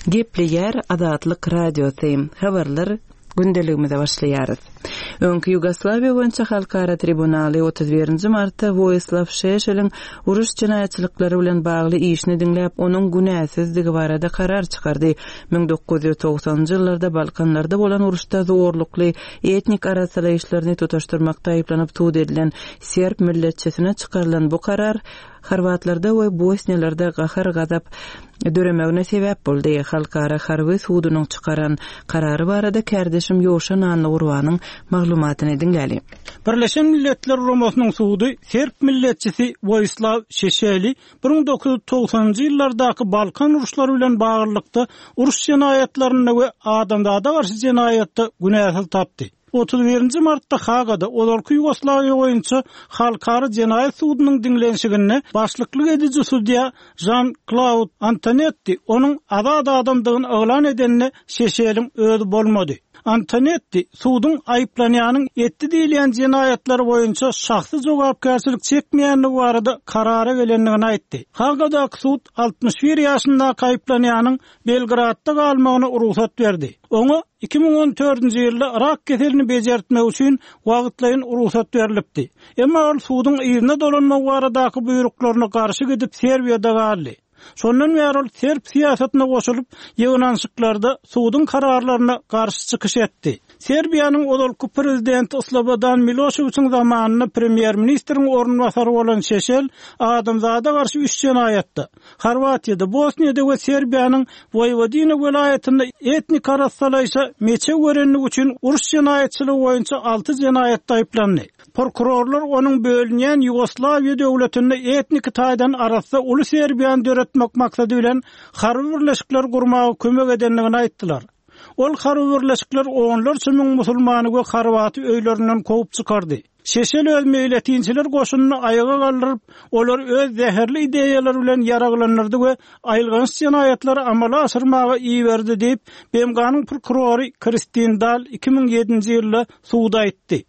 Gepleýär Azatlyk Radiosy, Habarlar gündeligimize başlaýarys. Öňki Ýugoslawiýa boýunça halkara tribunaly 31 nji martda Woýislaw Şeşeliň uruş jenaýatçylyklary bilen bagly işini diňläp, onuň günäsizdigi barada karar çykardy. 1990-njy ýyllarda Balkanlarda bolan uruşda zorlukly etnik arassalaýyşlaryny tutaşdyrmakda aýyplanyp sud edilen serb milletçisine çykarylan bu karar Horwatlarda we bosniýalarda gahar-gazap döremegine sebäp boldy. Halkara harby sudunyň çykaran karary barada kärdeşim Ýowşan Annagurbanyň maglumatyny diňläli. Birleşen Milletler Guramasynyň sudy serb milletçisi Woýislaw Şeşeli 1990-njy ýyllardaky Balkan uruşlary bilen baglylykda uruş jenaýatlarynda we adamzada garşy jenaýatda günäsiz tapdy. 31-nji martda Hagada ozalky Ýugoslawiýa boýunça Halkara jenaýat sudunyň diňlenişiginde başlyklyk ediji sudýa Žan-Klaud Antonetti onuň azat adamdygyny yglan edende Şeşeliň özi bolmady. Antonetti suduň aýyplanýanyň etdi diýilýän jenaýatlary boýunça şahsy jogapkärçilik çekmeýändigi barada karara gelendigini aýtdy. Hagadaky sud 61 ýaşyndaky aýyplanýanyň Belgradda galmagyna rugsat berdi. Oňa 2014-nji ýylda rak keselini bejertmek üçin wagtlaýyn rugsat berlipdi. Emma ol suduň yzyna dolanmagy baradaky buýruklaryna garşy gidip Serbiýada galdy. Şondan bäri ol serb syýasatyna goşulyp, ýygnanyşyklarda suduň kararlaryna garşy çykyş etdi. Serbiýanyň ozalky prezidenti Slobodan Miloşewiçiň zamanynda premýer-ministriň orunbasary bolan Şeşel adamzada garşy üç jenaýatda, Horwatiýada, Bosniýada we Serbiýanyň Woýwodina welaýatynda etnik arassalaýşa meçew berenligi üçin uruş jenaýatçylygy boýunça alty jenaýatda aýyplandy. Prokurorlar onuň bölünýän Ýugoslawiýa döwletinde etniki taýdan arassa uly Serbiýany döretmek maksady bilen harby birleşikler gurmaga kömek edendigini aýtdylar. Ol harby birleşikler onlarça müň musulmany we horwaty öýlerinden kowup çykardy. Şeşel öz meýletinçiler goşunyny aýaga galdyryp, olary öz zäherli ideýalary bilen ýaraglandyrdy we aýylganç jenaýatlary amala aşyrmaga iberdi diýip, BMG-niň prokurory Kristin Dal 2007-nji ýylda suda aýtdy.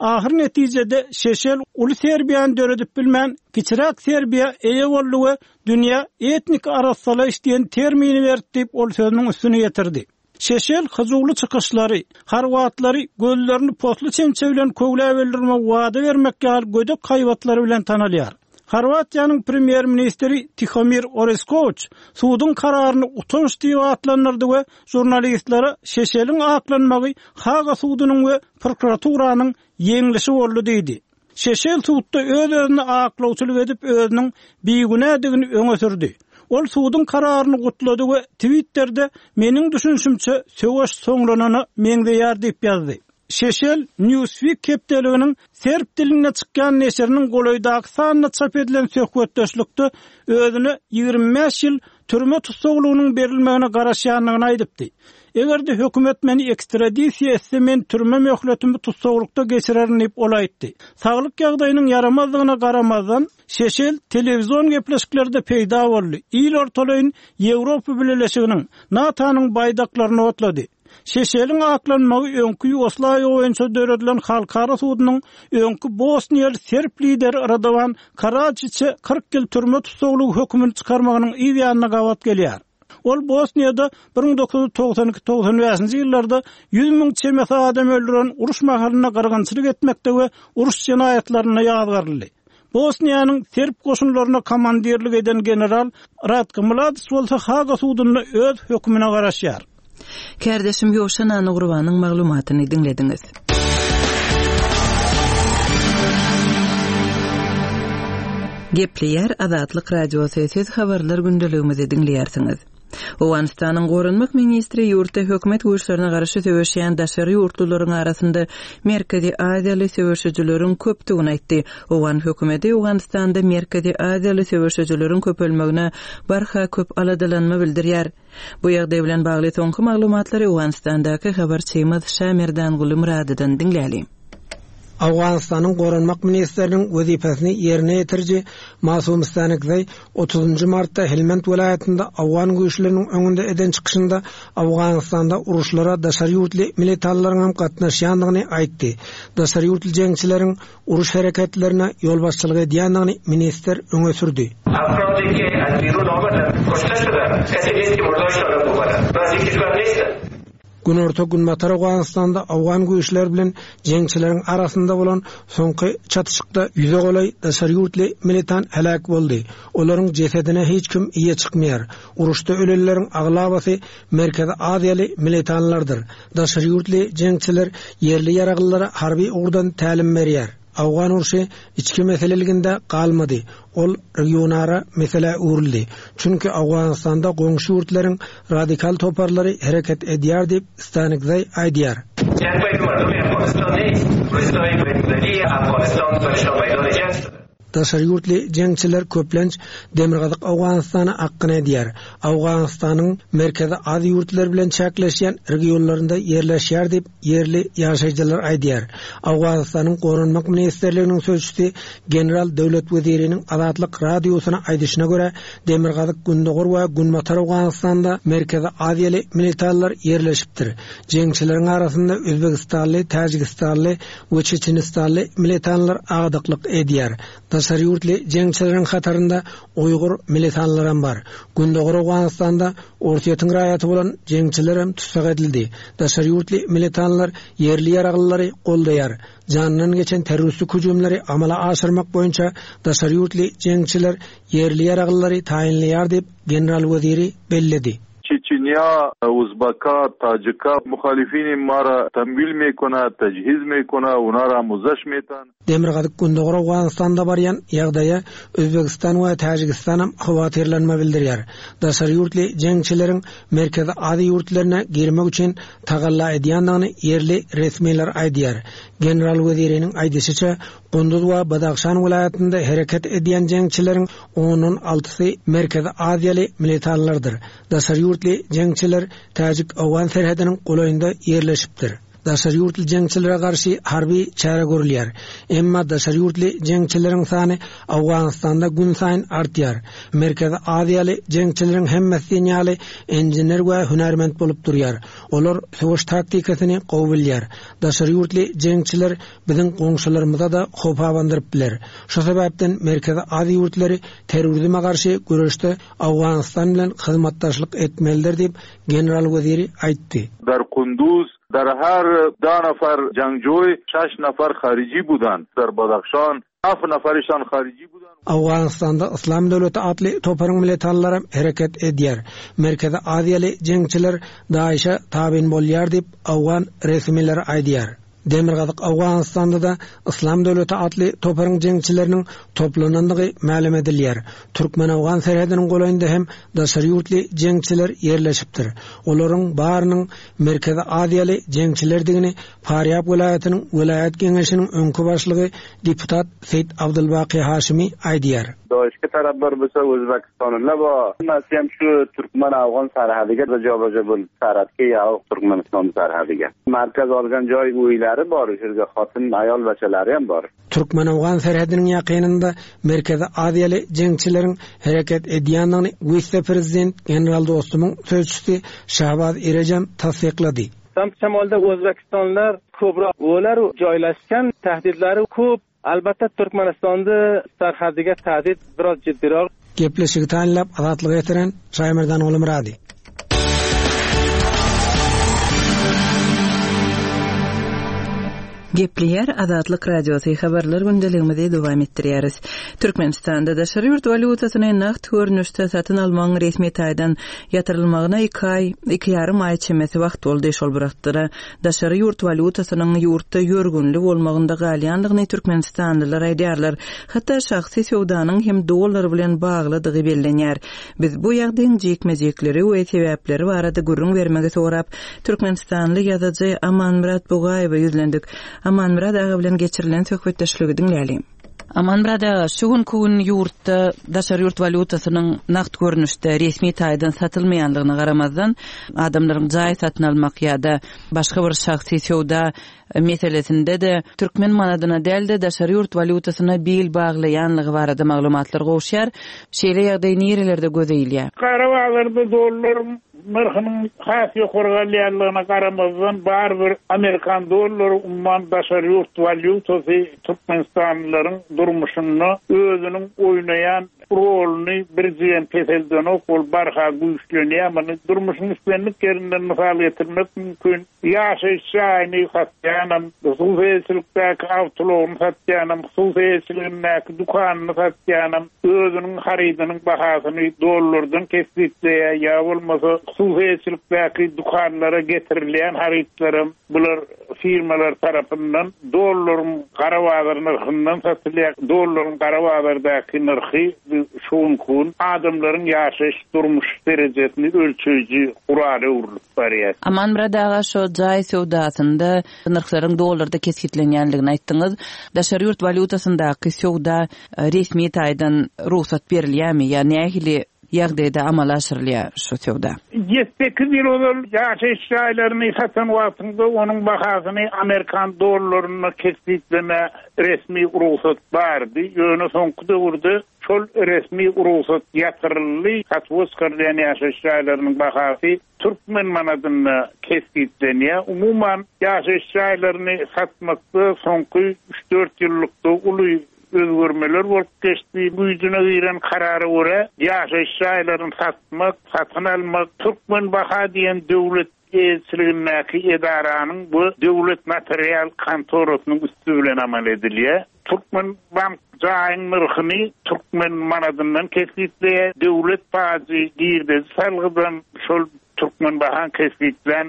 Ahyr netijede Şeşel uly Serbiýany döredip bilmän, kiçiräk Serbiýa eýe boldy we dünýä etnik arassalaýyş diýen termini berdi diýip, ol sözüniň üstüni ýetirdi. Şeşel hyjuwly çykyşlary, horwatlary gözlerini posly çemçe bilen köwläp öldürmegi wada bermek ýaly gödek haýbatlary bilen tanalýar. Horwatiýanyň premýer-ministri Tihomir Oreskowiç suduň kararyny utanç diýip atlandyrdy we žurnalistlere Şeşeliň aklanmagy Haga sudunyň we prokuraturanyň ýeňlişi boldy diýdi. Şeşel sudda öz-özüne aklawçylyk edip özüniň bigünädigini öňe sürdi. Ol suduň kararyny gutlady we Twitterde Meniň düşünişimçe söweş soňlanana meňzeýär diýip ýazdy. Şeşel Newsweek hepdeliginiň serb dilinde çykýan neşiriniň golaýdaky sanynda çap edilen söhbetdeşlikde özüne 25 ýyl türme tussaglygynyň berilmegine garaşýandygyny aýdypdy. Eger-de hökümet meni ekstradisiýa etse, men türme möhletimi tussaglykda geçirerin diýip, ol aýtdy. Saglyk ýagdaýynyň ýaramazdygyna garamazdan, Şeşel telewizion gepleşiklerde peýda boldy, il ortalaýyn Ýewropa Bileleşiginiň, NATO-nyň baýdaklaryny otlady. Şeşeliň aklanmagy öňki Ýugoslawiýa boýunça döredilen halkara sudunyň öňki bosniýaly serb lideri Radowan Karajiçe 40 ýyl türme tussaglygy hökümini çykarmagynyň yz ýanyna gabat gelýär. Ol Bosniýada 1992-95-nji ýyllarda 100 müň çemesi adam öldüren uruş mahalynda gyrgynçylyk etmekde we uruş jenaýatlarynda ýazgaryldy. Bosniýanyň serb goşunlaryna komandirlik eden general Ratko Mladiç bolsa Haga sudunda öz hökümine garaşýar. Kärdeşim Ýowşan Annagurbanyň maglumatyny diňlediňiz. Gepleýär Azatlyk Radiosy, siz habarlar gündeligimizi diňleýärsiňiz. Owganystanyň goranmak ministri ýurtda hökümet güýçlerine garşy söweşýän daşary ýurtlularyň arasynda Merkezi Aziýaly söweşijileriň köpdügini aýtdy. Owgan hökümeti Owganystanda Merkezi Aziýaly söweşijileriň köpelmegine barha köp aladalanma bildirýär. Bu ýagdaý bilen bagly soňky maglumatlary Owganystandaky habarçymyz Şamerdanguly Myradydan diňläliň. Owganystanyň Goranmak ministriniň wezipesini ýerine ýetiriji Masum Stanikzaý otuzynjy martda Helmend welaýatynda owgan güýçleriniň öňünde eden çykyşynda Owganystanda uruşlara daşary ýurtly militanlaryň hem gatnaşýandygyny aýtdy. Daşary ýurtly jeňçileriň uruş hereketlerine ýolbaşçylyk edýändigini ministr öňe sürdi. Günorta-Günbatar Owganystanda owgan güýçleri bilen jeňçileriň arasynda bolan soňky çatyşykda ýüze golaý daşary ýurtly militant heläk boldy. Olaryň jesedine hiç kim eýe çykmaýar. Uruşda ölenleriň aglabasy Merkezi Aziýaly militanlardyr. Daşary ýurtly jeňçiler ýerli ýaraglylara harby ugurdan tälim berýär. Owgan urşy içki meseleliginde galmady, ol regionara meselä öwrüldi. Çünki Owganystanda goňşy ýurtlaryň radikal toparlary hereket edýär diýip, Stanikzaý aýdýar. Daşary ýurtly jeňçiler köplenç Demirgazyk Owganystana akgyn edýär. Owganystanyň Merkezi Aziýa ýurtlary bilen çäkleşýän regionlarynda ýerleşýär diýip, ýerli ýaşaýjylar aýdýar. Owganystanyň Goranmak ministrliginiň sözçüsi general Döwlet Weziriniň Azatlyk Radiosyna aýdyşyna görä, Demirgazyk, Gündogar we Günbatar Owganystanda Merkezi Aziýaly militanlar ýerleşipdir. Jeňçileriň arasynda özbegistanly, täjigistanly we çeçenistanly militanlar agdyklyk edýär. Daşary ýurtly jeňçileriň hatarynda uýgur militanlaram bar. Gündogar Owganystanda Orsýetiň raýaty bolan jeňçilerem tussag edildi. Daşary ýurtly militanlar ýerli ýaraglylary goldaýar. Janyndan geçen terroristik hüjümleri amala aşyrmak boýunça daşary ýurtly jeňçiler ýerli ýaraglylary taýynlaýar diýip, general Weziri belledi. Çeçenýa, Uzbaka, Tajika muhalifini mara tamwil mekona, tajhiz mekona, onara muzaş metan. Demirgazyk-Gündogar Owganystanda barýan ýagdaýa Özbegistan we Täjigistanam howatyrlanma bildirýär. Daşary ýurtly jeňçileriň Merkezi Aziýa ýurtlaryna girmek üçin tagalla edýändigini ýerli resmiler aýdýar. General Weziriniň aýdyşyça, Gunduz we Badahşan welaýatynda hereket edýän jeňçileriň ondan altysy Merkezi Aziýaly militanlardyr. Daşary ýurtly jeňçiler täjik-owgan serhediniň golaýynda ýerleşipdir. Daşary ýurtly jeňçilere garşy harby çäre görülýär. Emma daşary ýurtly jeňçileriň sany Owganystanda günsaýyn artýar. Merkezi Aziýaly jeňçileriň hemmesi diýen ýaly inžener we hünärment bolup durýar. Olar söweş taktikasyny gowy bilýär. Daşary ýurtly jeňçiler biziň goňşularymyza-da howp abandyryp biler. Şu sebäpden Merkezi Aziýa ýurtlary terrorizme garşy göreşde Owganystan bilen hyzmatdaşlyk etmelidir diýip, general Weziri aýtdy. Dar Kunduz dar her da nafar jangjoý şaş nafar hariji budan, dar Badahşan haf nafarişan hariji budan. Owganystanda Yslam döwleti atly toparyň militanlaram hereket edýär. Merkezi Aziýaly jeňçiler DAIŞ-e tabyn bolýar diýip, owgan resmileri aýdýar. Demirgazyk Owganystanda-da Yslam döwleti atly toparyň jeňçileriniň toplanandygy mälim edilýär. Türkmen-owgan serhediniň golaýynda hem daşary ýurtly jeňçiler ýerleşipdir. Olaryň barynyň Merkezi Aziýaly jeňçilerdigini Farýab welaýatynyň welaýat geňeşiniň öňki başlygy deputat Seýit Abdulbaky Haşimi aýdýar. Daşky taraplar bolsa Özbekistanyla bar. Hemmesi hem şu türkmen-afgan serhediga joba-jo bolup serhetge ýa Türkmenistan serhediga. Merkez algan jaý öýleri bar, şu ýerde hatyn, aýal beçeleri hem bar. Türkmen-owgan serhediniň ýakynynda Merkezi Aziýaly jeňçileriň hereket edýändigini wise-prezident general Dostumyň sözçüsi Şahbaz Irejem tassyklady. Şamçamalda Özbekistanlylar köpräk olar joýlaşgan tahdidlari köp. Albatta Türkmenistanda sarhadiga tahdid biraz jiddiroq. Gepleşigi taýynlap Azatlyga ýetiren Şaýmerdan Gulumyrady. Gepleýär Azatlyk Radiosy habarlar gündeligimizi dowam etdirýäris. Türkmenistanda daşary ýurt walýutasyny nagt görnüşde satyn almagyň resmi taýdan ýatyrylmagyna iki aý, iki ýarym aý çemesi wagt boldy. Şol bir wagtda-da, daşary ýurt walýutasynyň ýurtda ýörgünli bolmagynda galýandygyny türkmenistanlylar aýdýarlar. Hatda şahsy söwdanyň hem dollar bilen baglydygy bellenýär. Biz bu ýagdaýyň jikme-jikleri we sebäpleri barada gürrüň bermegi sorap, türkmenistanly ýazyjy Amanmyrat Bugaýewe ýüzlendik. Amanmyrat aga bilen geçirilen söhbetdeşligi diňläliň. Amanmyrat aga, şu günki gün ýurtda daşary ýurt walýutasynyň nagt görnüşde resmi taýdan satylmaýanlygyna garamazdan, adamlaryň jaý satyn almak ýa-da başga bir şahsy söwda meselesinde-de türkmen manadyna däl-de, daşary ýurt walýutasyna bil baglaýanlygy barada maglumatlar gowuşýar. Şeýle ýagdaý nirelerde göze ilýär? Gara bazarda dollar. nyrhynyň has ýokary galýanlygyna garamazdan, barybir amerikan dollary umuman daşary ýurt walýutasy türkmenistanlylaryň durmuşynda özüniň oýnaýan roluny birjigem peseldenok, ol barha güýçlenýär. Muny durmuşyň islendik ýerinden mysal getirmek mümkin. Ýaşaýyş jaýyny satýanam, hususy eýeçilikdäki awtoulagyny satýanam, hususy eýeçiligindäki dükanyny satýanam özüniň harydynyň bahasyny dollardan kesgitleýär, ýa bolmasa hususy eýeçilikdäki dükanlara getirilýän harytlaram bular firmalar tarapyndan dollaryň gara bazar nyrhyndan satylýar. Dollaryň gara bazardaky nyrhy şu günki gün adamlaryň ýaşaýyş durmuş derejesini ölçeýji gurala öwrülip barýar. Amanmyrat aga şo jaý söwdasynda nyrhlaryň dollarda kesgitlenýänligini aýtdyňyz. Daşary ýurt walýutasyndaky söwda resmi taýdan rugsat berilýärmi ýa nähili ýagdaýda amala aşyrylýar şu söwda? Ýedi-sekiz ýyl ozal ýaşaýyş jaýlaryny satan wagtyňda onuň bahasyny amerikan dollarynda kesgitleme resmi rugsat bardy. Ýöne soňky döwürde Şol resmi rugsat ýatyryldy, satuwa çykarylýan ýaşaýyş jaýlarynyň bahasy türkmen manadynda kesgitlenýär. Umuman, ýaşaýyş jaýlaryny satmakda soňky üç-dört ýyllykda uly özgermeler bolup geçdi. Güýjüne giren karara görä, ýaşaýyş jaýlaryny satmak, satyn almak Türkmenbaha diýen döwlet eýeçiligindäki edaranyň we döwlet notarial kontorasynyň üsti bilen amal edilýär. Türkmenbank jaýyň nyrhyny türkmen manadyndan kesgitleýär, döwlet pajy girdeji salgydam şol Türkmenbahaň kesgitlän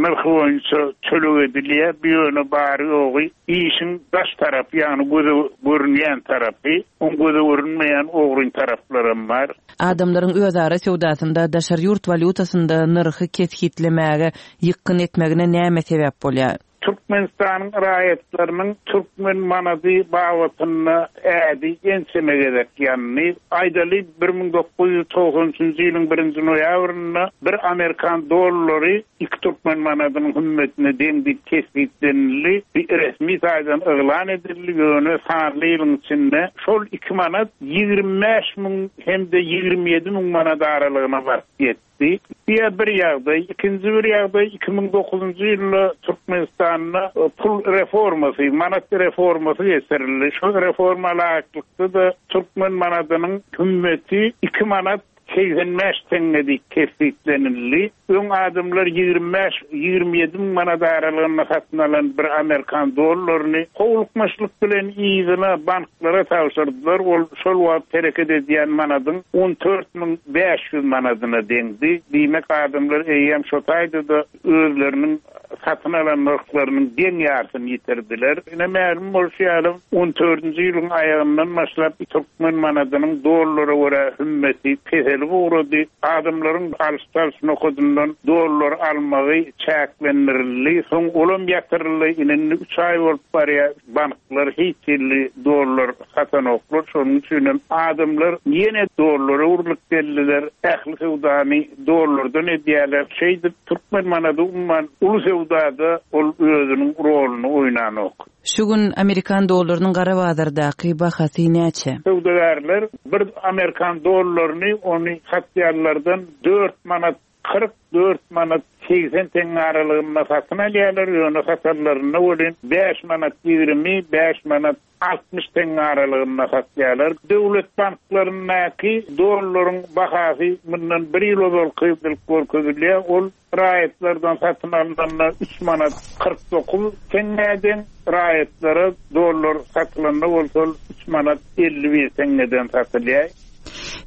nyrhy boýunça töleg edilýär. Bu ýöne bary-ýogy işiň daş tarapy, ýagny göze görünýän tarapy. Oň göze görünmeýän ogryn taraplaram bar. Adamlaryň özara söwdasynda daşary ýurt walýutasynda nyrhy kesgitlemäge ýykgyn etmegine näme sebäp bolýar? Türkmenistanyň raýatlarynyň türkmen manady babatynda ädi ençeme gezek ýandy. Aýdaly, 1993 üçünji ýylyň birinji noýabrynda bir amerikan dollary iki türkmen manadynyň hümmetine deň diýip kesgitlenildi. Bu resmi taýdan yglan edildi, ýöne sanly ýylyň içinde şol iki manat 25 müň hem-de 27 müň manat aralygyna baryp ýetdi. Bu bir ýagdaý. Ikinji bir ýagdaý, 2009-njy ýylda Türkmenistanda pul reformasy, manat reformasy geçirildi. Şol reforma laýyklykda-da türkmen manadynyň hümmeti iki manat 85 teňňe diýip kesgitlenildi. Öň adamlar 25, 27 müň manat aralygynda satyn alan bir amerikan dollaryny howlukmaçlyk bilen yzyna banklara tabşyrdylar. Ol şol wagt hereket edýän manadyň 14 500 manadyna deňdi. Diýmek, adamlar eýýäm şo taýda-da özleriniň satyn alan nyrhlarynyň deň ýarsyny ýitirdiler. Ine, mälim bolşy ýaly, on dördünji ýylyň aýagyndan başlap türkmen manadynyň dollara görä hümmeti peselip ugrady. Adamlaryň alyş-çalyş nokadyndan dollar almagy çäklendirildi. Soň olam ýatyryldy. Ine, indi üç aý bolup barýar, banklar hiç hili dollar satanoklar. Şonuň üçinem adamlar ýene dollara öwrülip geldiler. Ähli söwdany dollardan edýärler. Şeýdip, türkmen manady umuman uly söwdada ol özüniň roluny oýnanok. Şu gün amerikan dollarynyň gara bazardaky bahasy näçe? Söwdagärler bir amerikan dollaryny ony satýanlardan dört manat 44 manat 80 teňňe aralygynda satyn alýarlar, ýöne satanlarynda welin bäş manat 20, bäş manat 60 teňňe aralygynda satýarlar. Döwlet banklaryndaky dollaryň bahasy mundan bir ýyl ozalky diýlip görkezilýär. Ol raýatlardan satyn alnanda üç manat 49 teňňä deň, raýatlara dollar satylanda bolsa ol üç manat 51 teňňeden satylýar.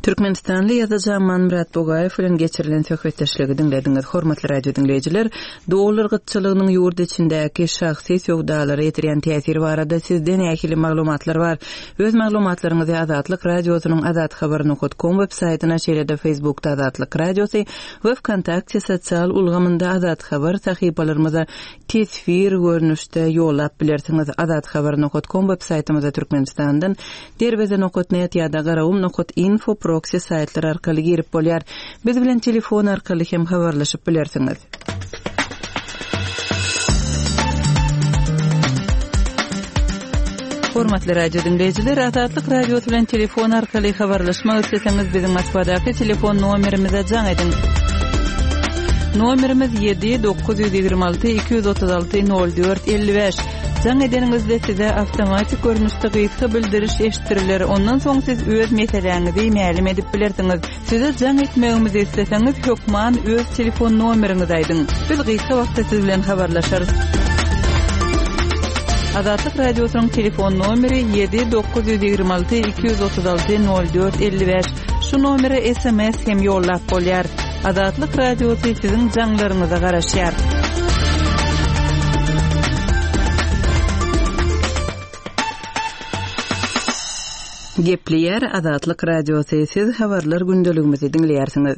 Türkmenistanly ýazyjy Amanmyrat Bugaýew bilen geçirilen söhbetdeşligi diňlediňiz. Hormatly radio diňleýjiler, dollar gytçylygynyň ýurt içindäki şahsy söwdalara ýetirýän täsiri barada sizde nähili maglumatlar bar? Öz maglumatlaryňyzy Azatlyk Radiosynyň azathabar nokat kom web saýtyna, şeýle-de Facebookda Azatlyk Radiosy we Wkontakte sosial ulgamynda Azathabar sahypalarymyza teswir görnüşde ýollap bilersiňiz. Azathabar nokat kom web saýtymyza Türkmenistandan Derweze nokat net ýa-da Garagum nokat info proksi saýtlary arkaly girip bolýar. Biz bilen telefon arkaly hem habarlaşyp bilersiňiz. Hormatly radio diňleýjiler, Azatlyk Radiosy bilen telefon arkaly habarlaşmak isleseňiz, biziň Moskwadaky telefon nomerimize jaň ediň. Nomerimiz 7 926 236 04 55. Jaň edeniňizde size awtomatik görnüşde gysga bildiriş eşitdiriler, ondan soň siz öz meseläňizi mälim edip bilersiňiz. Size jaň etmegimizi isleseňiz, hökman öz telefon nomeriňizi aýdyň. Biz gysga wagtda siz bilen habarlaşarys. Azatlyk Radiosynyň telefon nomeri 7 926 236 04 55. Şu nomere sms hem ýollap bolýar. Azatlyk Radiosy siziň jaňlaryňyza garaşýar. Gepleýär Azatlyk Radiosy, siz habarlar gündeligimizi diňleýärsiňiz.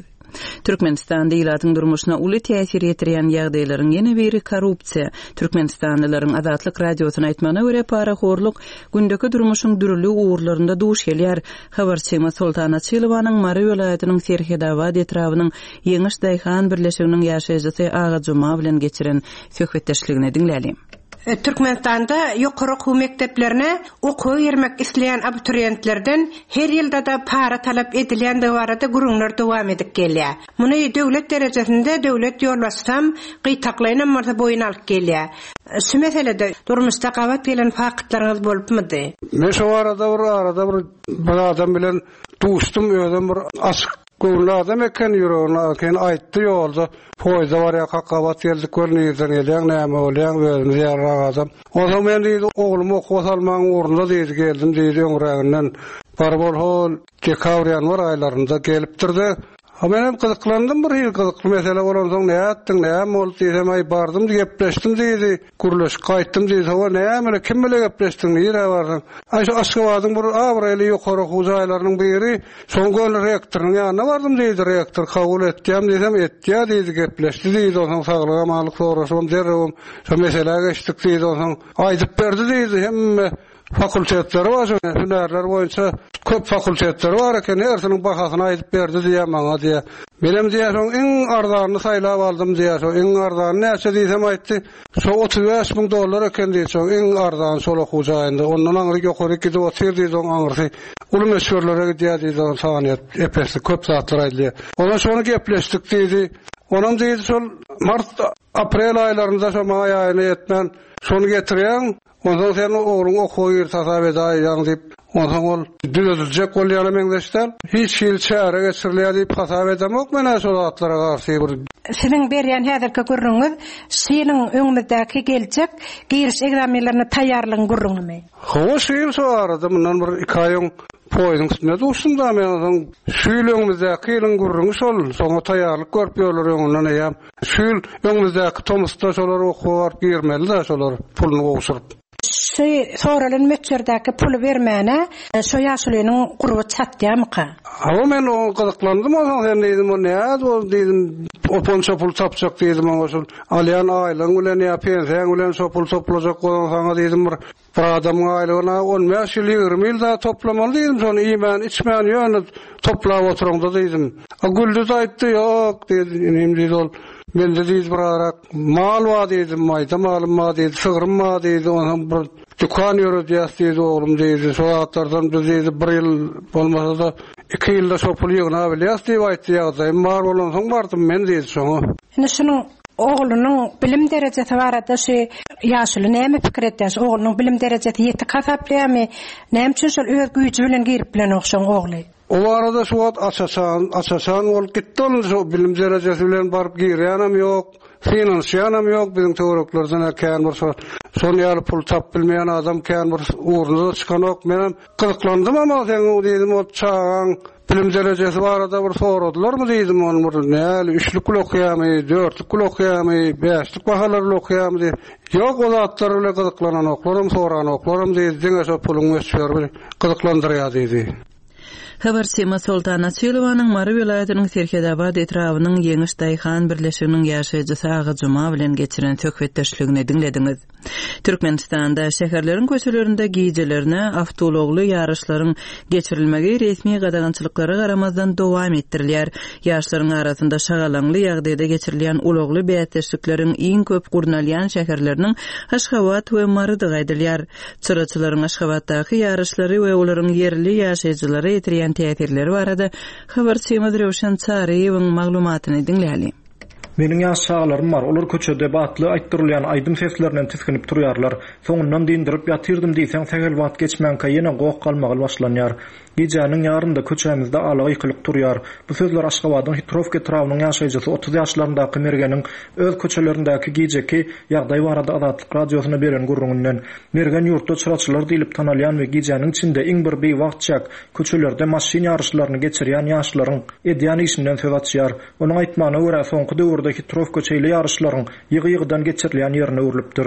Türkmenistanda ilatyň durmuşyna uly täsir ýetirýän ýagdaýlaryň ýene biri korrupsiýa. Türkmenistanlylaryň Azatlyk Radiosyna aýtmagyna görä, parahorluk gündeki durmuşyň dürli ugurlarynda duş gelýär. Habarçymyz Soltan Açylowanyň Mary welaýatynyň Serhetabat etrabynyň Ýeňiş daýhan birleşiginiň ýaşaýjysy Aga Juma bilen geçiren söhbetdeşligini diňläliň. Türkmenistanda ýokary okuw mekdeplerine okuwa girmek isleýän abituriýentlerden her ýylda-da para talap edilýändigi barada gürrüňler dowam edip gelýär. Muny döwlet derejesinde döwlet ýolbaşçysam gytaklaýynam bolsa boýun alyp gelýär. Şu meselede durmuşda gabat gelen faktlaryňyz bolupmydy? Men şo barada bir arada bir bir adam bilen duşdum, özem bir açyk Göwünli adam eken ýüregini eken aýtdy ýolda poýuzda barýarkak gabat geldik gör nirden gelýäň näme bolýaň özümiz ýalyrak adam. Onsoň men diýdi oglumy okuwa salmagyň ugrunda diýdi geldim diýdi öňräginden baryp ol hol dekabr ýanwar aýlarynda gelipdirde Ha menem gyzyklandym bir hili gyzykly mesele bolansoň nätdiň näme boldy diýsem aý bardym gepleşdim diýdi. Gürleşip gaýtdym diýdi. Hawa, näme bile, kim bile gepleşdiň, nirä bardyň? Aý, şu Aşgabadyň bir abraýly ýokary okuw jaýlarynyň biri, şoň göni rektorynyň ýanyna bardym diýdi. Rektor kabul etýämi diýsem, etýä diýdi, gepleşdi diýdi. Onsoň saglyk-amanlyk soraşybam derrewem şo meselä geçdik diýdi. Onsoň aýdyp berdi diýdi, hemme Fakultetleri bar şo hünärler boýunça köp fakultetleri bar eken hersiniň bahasyny aýdyp berdi diýýär maňa diýýär. Menem diýýär şoň iň arzanyny saýlap aldym diýýär şo iň arzany näçe diýsem aýtdy şo 35 müň dollar eken diýdi şoň iň arzany şol okuw jaýynda ondan aňryk ýokaryk gidip otyr diýdi oň aňyrsy uly möçberlere gidýär diýdi oň sany ep-esli köp zatlar aýdylýar. Ondan şony gepleşdik diýdi. Onam diýdi şol mart aprel aýlarynda şo maý aýyna ýetmän şony getirýäň Onsoň sen ogluň okuwa girdi hasap edäýýäň diýip, onsoň ol düzediljek bolýana meňzeş däl. Hiç hili çäre geçirilýär diýip hasap edemok men-ä şo zatlara garşy bir. Siziň berýän häzirki gürrüňiňiz şu ýylyň öňümizdäki geljek giriş ekzamenlerine taýýarlygyň gürrüňimi? Hawa şu ýyl şo arada mundan bir iki aý öň poýeziň üstünde duşdum-da men onsoň şu ýyl öňümizdäki ýylyň gürrüňi şol, şoňa taýýarlyk görüp ýörler öňünden eýýäm. Şu ýyl öňümizdäki tomusda şolar okuwa baryp girmeli-dä şolar puluny gowşuryp. Şu soralan möçberdäki puly bermäne şo ýaşulynyň gurby çatýamyka? Hawa men oňa gyzyklandym onsoň sen diýdim o nädip ol diýdim oponça pul tapjak diýdim oňa şul alýan aýlygyň bilen ýa pensiýaň bilen şo pul toplajak bolsaň saňa diýdim bir Bir adamyň aýlygyna on bäş ýyl, 20 ýyl zat toplamaly diýdim, şony iýmän, içmän ýöne toplap oturaňda diýdim. A güldi-de aýtdy, ýok diýdi, inim diýdi ol, mende diýdi birarak mal bar diýdi, maýda malym bar diýdi, sygrym bar diýdi, onsoň bir dükan ýöredýäs diýdi oglum diýdi, şo zatlardan biz diýdi bir ýyl bolmasa-da iki ýylda şo puly ýygnabilýäs diýip aýtdy, ýagdaýym bar bolansoň bardym men diýdi şoňa. Indi şunuň Oglunyň bilim derejesi barada şu ýaşuly näme pikir edýär? Şu oglunyň bilim derejesi ýetik hasaplaýarmy? Näme üçin şol öz güýji bilen girip bilenok şoň ogly? O barada şu wagt aç-açan, aç-açan bolup gitdi ol şu bilim derejesi bilen baryp girýänem ýok, synanyşýanam ýok biziň töwereklerden-ä kän bir şo şon ýaly pul tapyp bilmeýän adam kän bir ugruna-da çykanok. Menem gyzyklandym ama seň diýdim ol çagaň Bilim derejesi barada bir soradylarmy diýdim, ony bir näli üçlük bile okaýarmy, dörtlük bile okaýarmy, bäşlik bahalar bile okaýarmy diýip. Ýok, o zatlar bile gyzyklananoklaram, soranoklaram diýdi, diňe şo puluň möçberi gyzyklandyrýar diýdi. Habarçymyz Soltan Açylowanyň Mary welaýatynyň Serhetabat etrabynyň Ýeňiş daýhan birleşiginiň ýaşaýjysy Aga Juma bilen geçiren söhbetdeşligini diňlediňiz. Türkmenistanda şäherleriň köçelerinde gijelerine awtoulagly ýaryşlaryň geçirilmegi resmi gadagançylyklara garamazdan dowam etdirilýär. Ýaşlaryň arasynda şagalaňly ýagdaýda geçirilýän ulagly bäsdeşlikleriň iň köp gurnalýan şäherleriniň Aşgabat we Marydygy aýdylýar. Çyraçylaryň Aşgabatdaky ýaryşlary we olaryň ýerli ýaşaýjylara ýetirýän täsirleri barada habarçymyz Röwşen Çaryýewiň maglumatyny diňläliň. Meniň ýaş çagalarym bar, olar köçede batly aýtdyrylýan aýdym seslerinden tisginip turýarlar. Soňundan dyndyryp ýatyrdym diýseň sähel wagt geçmänkä ýene goh-galmagal başlanýar. Gijäniň ýarynda köçämizde ala gykylyk turýar. Bu sözler Aşgabadyň Hitrowka etrabynyň ýaşaýjysy 30 ýaşlaryndaky Mergeniň öz köçelerindäki gijeki ýagdaý barada Azatlyk Radiosyna beren gürrüňinden. Mergen ýurtda çyraçylar diýlip tanalýan we gijäniň içinde iň bir biwagt çäk köçelerde maşyn ýaryşlaryny geçirýän ýaşlaryň edýän işinden söz açýar. Onuň aýtmagyna görä, soňky döwürde Hitrowka şeýle ýaryşlaryň ýygy-ýygydan geçirilýän ýerine öwrülipdir.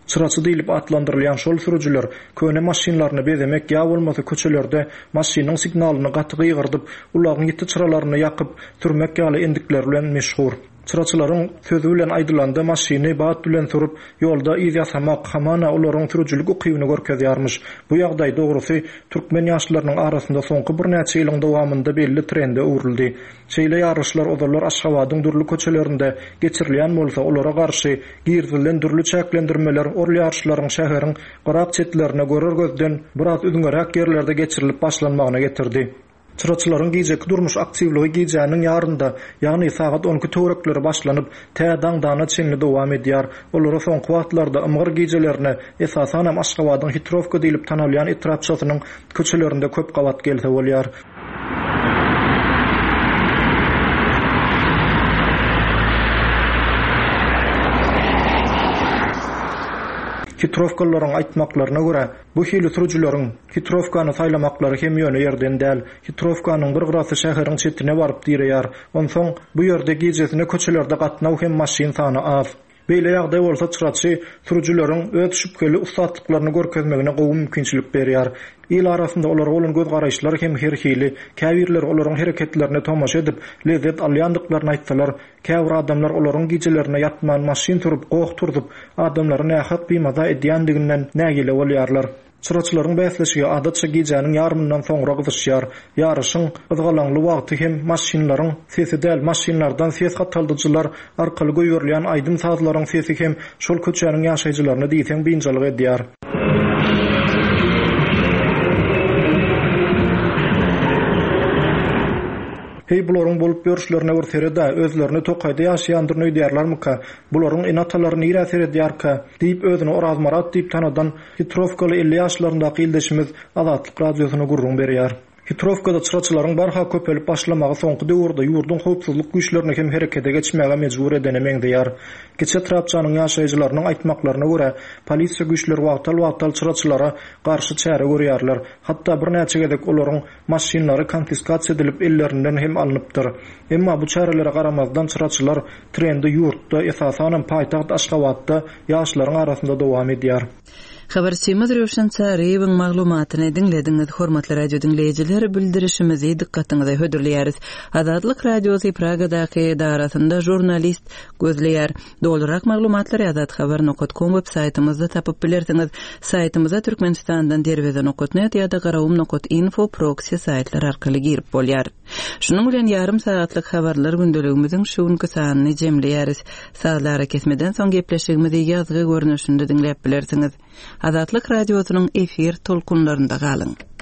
Çyraçy diýlip atlandyrylýan şol sürüjiler köne maşynlaryny bezemek ýa bolmasa köçelerde maşynyň signalyny gaty gygyrdyp, ulagyň ýiti çyralaryny ýakyp sürmek ýaly endikleri bilen meşhur. Çyraçylaryň sözi bilen aýdylanda maşyny bat bilen sürüp, ýolda yz ýasamak, hamana olaryň sürüjilik ukybyny görkezýärmiş. Bu ýagdaý, dogrusy, türkmen ýaşlarynyň arasynda soňky birnäçe ýylyň dowamynda belli trende öwrüldi. Şeýle ýaryşlar ozallar Aşgabadyň dürli köçelerinde geçirilýän bolsa, olara garşy girizilen dürli çäklendirmeler ol ýaryşlaryň şäheriň gyrak-çetlerine görer gözden biraz üzňeräk ýerlerde geçirilip başlanmagyna getirdi. Çyraçylaryň gijeki durmuş aktiwligi gijäniň ýarynda, ýagny sagat on iki töwerekleri başlanyp, tä daňdana çenli dowam edýär. Olara soňky wagtlarda ymgyr gijelerine, esasanam Aşgabadyň Hitrowka diýlip tanalýan etrapçasynyň köçelerinde köp gabat gelse bolýar. Hitrowkalylaryň aýtmaklaryna görä, Bu hili sürüjileriň Hitrowkany saýlamaklary hem ýöne ýerden däl. Hitrowkanyň bir gyrasy şäheriň çetine baryp direýär. Onsoň, bu ýerde gijesine köçelerde gatnaw hem maşyn sany az. Beýle ýagdaý bolsa çyraçy sürüjileriň öz şübheli ussatlyklaryny görkezmegine gowy mümkinçilik berýär. Il arasynda olara bolan göz-garaýyşlar hem her hili. Käbirleri olaryň hereketlerine tomaşa edip, lezzet alýandyklaryny aýtsalar, Käbir adamlar olaryň gijelerine ýatman maşyn sürüp, goh turzup, adamlary nähak bimaza edýändiginden nägile bolýarlar. Çyraçylaryň bäsleşigi adatça gijäniň ýarymyndan soňra gyzyşýar. Ýaryşyň gyzgalaňly wagty hem maşynlaryň sesi däl, maşynlardan ses gataldyjylar arkaly goýberilýän aýdym-sazlaryň sesi hem şol köçäniň ýaşaýjylaryny diýseň biynjalyk edýär. Heý, bularyň bolup ýörüşlerine bir sered-ä, özlerini tokaýda ýaşaýandyryn öýdýärlermika? Bularyň ene-atalary nirä seredýärkä? diýip, özüni Orazmyrat diýip tanadan hitrowkaly 50 ýaşlaryndaky ildeşimiz Azatlyk Radiosyna gürrüň berýär. Hitrowkada çyraçylaryň barha köpelip başlamagy soňky döwürde ýurduň howpsuzlyk güýçlerini hem herekete geçmäge mejbur edene meňzeýär. Kiçi etrapçanyň ýaşaýjylarynyň aýtmaklaryna görä, polisiýa güýçleri wagtal-wagtal çyraçylara garşy çäre görýärler. Hatda birnäçe gezek olaryň Maşynlary konfiskasiýa edilip ellerinden hem alnypdyr. Emma bu çärelere garamazdan çyraçylar trendi ýurtda, esasanam paýtagt Aşgabatda ýaşlaryň arasynda dowam edýär. Habarçymyz Röwşen Çaryýewiň maglumatyny diňlediňiz. Hormatly radio diňleýjiler, bildirişimizi dykgatyňyza hödürleýäris. Azatlyk Radiosy Pragadaky edarasynda žurnalist gözleýär. Dolurak maglumatlary azathabar nokat kom web saýtymyzda tapyp bilersiňiz. Saýtymyza Türkmenistandan derweze nokat net ýa-da garawum nokat info proksi saýtlar arkaly girip bolýar. Şunuň bilen ýarym sagatlyk habarlar gündeligimiziň şu günki sanyny jemleýäris. Sazly arakesmeden soň gepleşigimizi ýazgy görnüşinde diňläp bilersiňiz. Azatlyk Radiosynyň efir tolkunlarynda galyň.